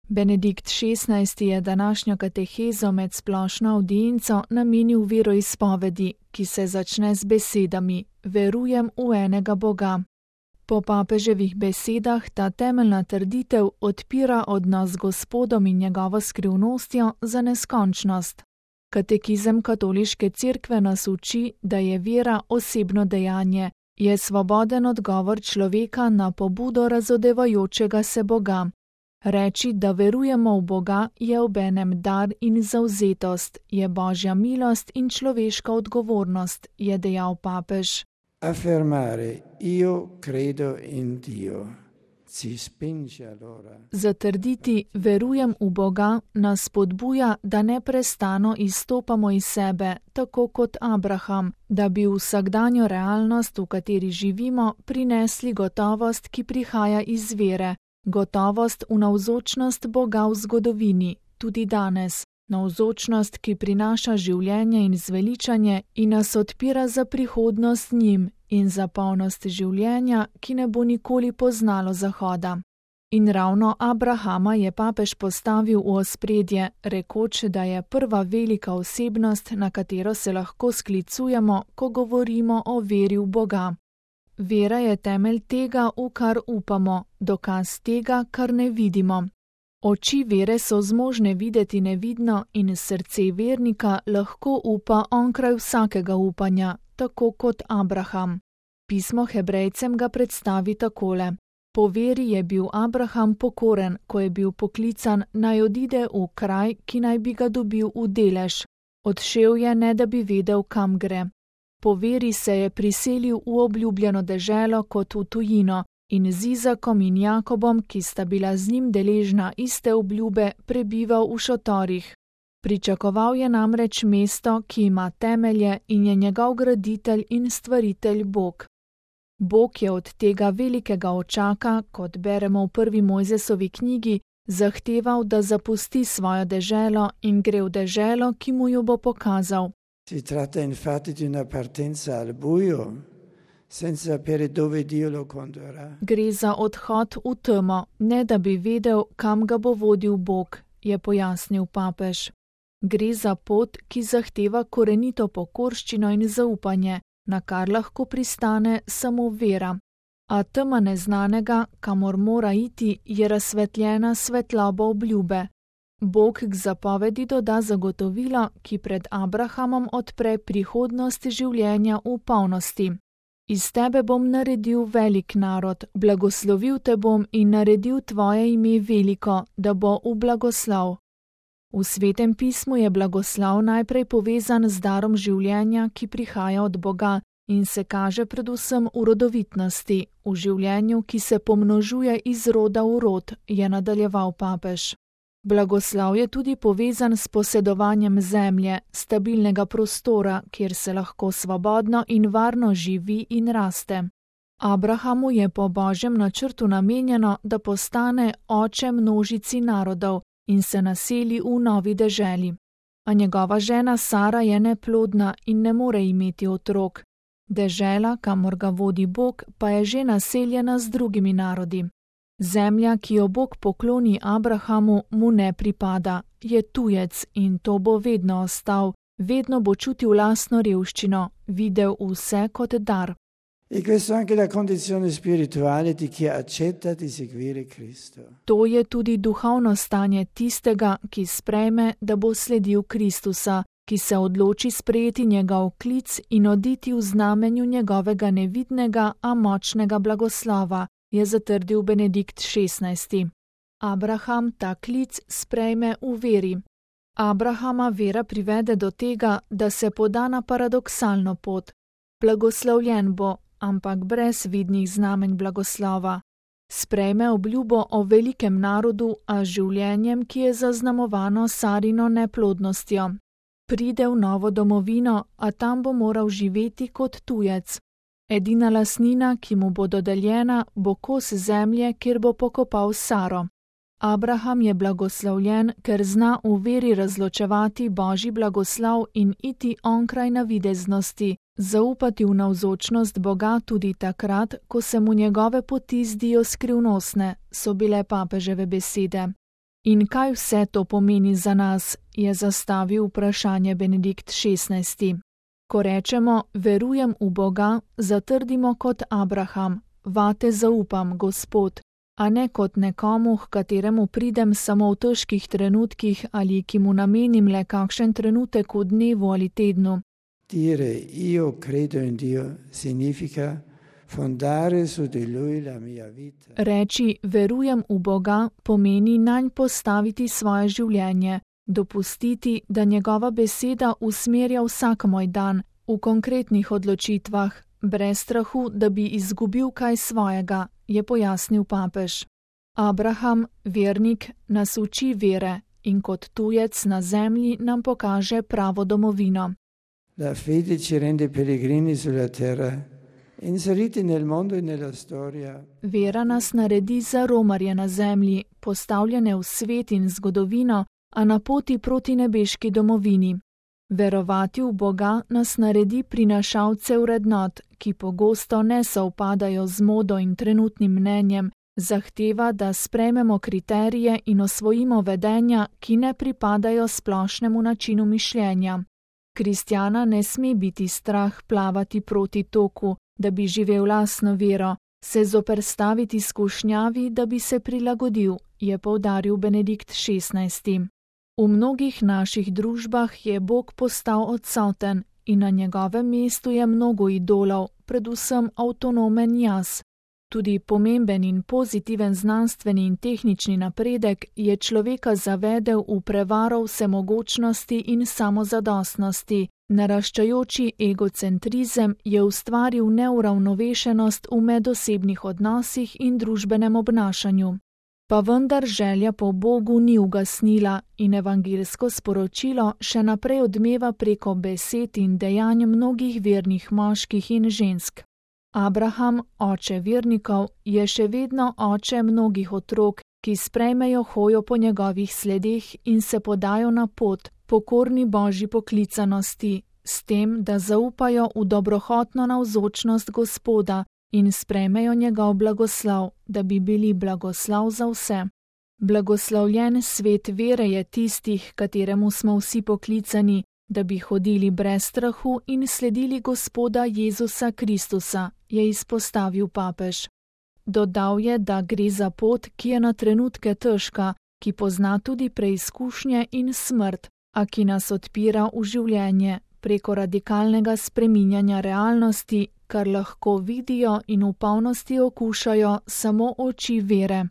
Benedikt XVI. Je današnjo katehezo med splošno avdienco namenil veroizpovedi, ki se začne z besedami: Verujem v enega Boga. Po papeževih besedah ta temeljna trditev odpira odnos z Gospodom in njegovo skrivnostjo za neskončnost. Katekizem katoliške cerkve nas uči, da je vera osebno dejanje, je svoboden odgovor človeka na pobudo razodevajočega se Boga. Reči, da verujemo v Boga, je obenem dar in zavzetost, je božja milost in človeška odgovornost, je dejal papež. Affermare io credo in Dio ci spinge allora. Zatrditi verujem v Boga nas spodbuja, da neprestano izstopamo iz sebe, tako kot Abraham, da bi v vsakdanjo realnost, v kateri živimo, prinesli gotovost, ki prihaja iz vere, gotovost v navzočnost Boga v zgodovini, tudi danes. Navzočnost, ki prinaša življenje in zveličanje in nas odpira za prihodnost z njim in za polnost življenja, ki ne bo nikoli poznalo zahoda. In ravno Abrahama je papež postavil v ospredje, rekoč, da je prva velika osebnost, na katero se lahko sklicujemo, ko govorimo o veri v Boga. Vera je temelj tega, v kar upamo, dokaz tega, kar ne vidimo. Oči vere so zmožne videti nevidno in srce vernika lahko upa onkraj vsakega upanja, tako kot Abraham. Pismo Hebrejcem ga predstavi takole. Po veri je bil Abraham pokoren, ko je bil poklican, naj odide v kraj, ki naj bi ga dobil v delež. Odšel je, ne da bi vedel, kam gre. Po veri se je priselil v obljubljeno deželo kot v tujino, in z Izakom in Jakobom, ki sta bila z njim deležna iste obljube, prebival v šotorih. Pričakoval je namreč mesto, ki ima temelje in je njegov graditelj in stvaritelj Bog. Bog je od tega velikega očaka, kot beremo v prvi Mojzesovi knjigi, zahteval, da zapusti svojo deželo in gre v deželo, ki mu jo bo pokazal. Si tratta infatti di una partenza al buio, senza sapere dove Dio lo condurrà. Gre za odhod v temo, ne da bi vedel, kam ga bo vodil Bog, je pojasnil papež. Gre za pot, ki zahteva korenito pokorščino in zaupanje, na kar lahko pristane samo vera. A tema neznanega, kamor mora iti, je razsvetljena svetloba obljube. Bog k zapovedi doda zagotovilo, ki pred Abrahamom odpre prihodnost življenja v polnosti. Iz tebe bom naredil velik narod, blagoslovil te bom in naredil tvoje ime veliko, da bo v blagoslov. V Svetem pismu je blagoslov najprej povezan z darom življenja, ki prihaja od Boga in se kaže predvsem v rodovitnosti, v življenju, ki se pomnožuje iz roda v rod, je nadaljeval papež. Blagoslov je tudi povezan s posedovanjem zemlje, stabilnega prostora, kjer se lahko svobodno in varno živi in raste. Abrahamu je po božjem načrtu namenjeno, da postane oče množici narodov in se naseli v novi deželi. A njegova žena Sara je neplodna in ne more imeti otrok. Dežela, kamor ga vodi Bog, pa je že naseljena z drugimi narodi. Zemlja, ki jo Bog pokloni Abrahamu, mu ne pripada, je tujec in to bo vedno ostal, vedno bo čutil lastno revščino, videl vse kot dar. E questa è anche la condizione spirituale di chi accetta di seguire Cristo. To je tudi duhovno stanje tistega, ki sprejme, da bo sledil Kristusa, ki se odloči sprejeti njegov klic in oditi v znamenju njegovega nevidnega, a močnega blagoslova, je zatrdil Benedikt XVI. Abraham ta klic sprejme v veri. Abrahama vera privede do tega, da se poda na paradoksalno pot. Blagoslovljen bo, ampak brez vidnih znamenj blagoslova. Sprejme obljubo o velikem narodu, a življenjem, ki je zaznamovano Sarino neplodnostjo. Pride v novo domovino, a tam bo moral živeti kot tujec. Edina lastnina, ki mu bo dodeljena, bo kos zemlje, kjer bo pokopal Saro. Abraham je blagoslovljen, ker zna v veri razločevati božji blagoslov in iti onkraj navideznosti, zaupati v navzočnost Boga tudi takrat, ko se mu njegove poti zdijo skrivnostne, so bile papeževe besede. In kaj vse to pomeni za nas, je zastavil vprašanje Benedikt XVI. Ko rečemo, verujem v Boga, zatrdimo kot Abraham, vate zaupam, Gospod, a ne kot nekomu, h kateremu pridem samo v težkih trenutkih ali ki mu namenim le kakšen trenutek v dnevu ali tednu. Dire io credo in Dio significa fondare su di Lui la mia vita. Reči verujem v Boga pomeni nanj postaviti svoje življenje, dopustiti, da njegova beseda usmerja vsak moj dan v konkretnih odločitvah, brez strahu, da bi izgubil kaj svojega, je pojasnil papež. Abraham, vernik, nas uči vere in kot tujec na zemlji nam pokaže pravo domovino. La fede ci rende pellegrini sulla terra, inseriti nel mondo e nella storia. Vera nas naredi za romarje na zemlji, postavljene v svet in zgodovino, a na poti proti nebeški domovini. Verovati v Boga nas naredi prinašalce vrednot, ki pogosto ne sovpadajo z modo in trenutnim mnenjem, zahteva, da sprejmemo kriterije in osvojimo vedenja, ki ne pripadajo splošnemu načinu mišljenja. Kristjana ne sme biti strah plavati proti toku, da bi živel lastno vero, se zoperstaviti skušnjavi, da bi se prilagodil, je poudaril Benedikt XVI. V mnogih naših družbah je Bog postal odsoten in na njegovem mestu je mnogo idolov, predvsem avtonomen jaz. Tudi pomemben in pozitiven znanstveni in tehnični napredek je človeka zavedel v prevaro vsemogočnosti in samozadostnosti. Naraščajoči egocentrizem je ustvaril neuravnovešenost v medosebnih odnosih in družbenem obnašanju. Pa vendar želja po Bogu ni ugasnila in evangeljsko sporočilo še naprej odmeva preko besed in dejanj mnogih vernih moških in žensk. Abraham, oče vernikov, je še vedno oče mnogih otrok, ki sprejmejo hojo po njegovih sledeh in se podajo na pot, pokorni Božji poklicanosti, s tem, da zaupajo v dobrohotno navzočnost Gospoda in sprejmejo njegov blagoslov, da bi bili blagoslov za vse. Blagoslovljen svet vere je tistih, kateremu smo vsi poklicani, da bi hodili brez strahu in sledili Gospoda Jezusa Kristusa, je izpostavil papež. Dodal je, da gre za pot, ki je na trenutke težka, ki pozna tudi preizkušnje in smrt, a ki nas odpira v življenje preko radikalnega spreminjanja realnosti, kar lahko vidijo in v polnosti okušajo samo oči vere.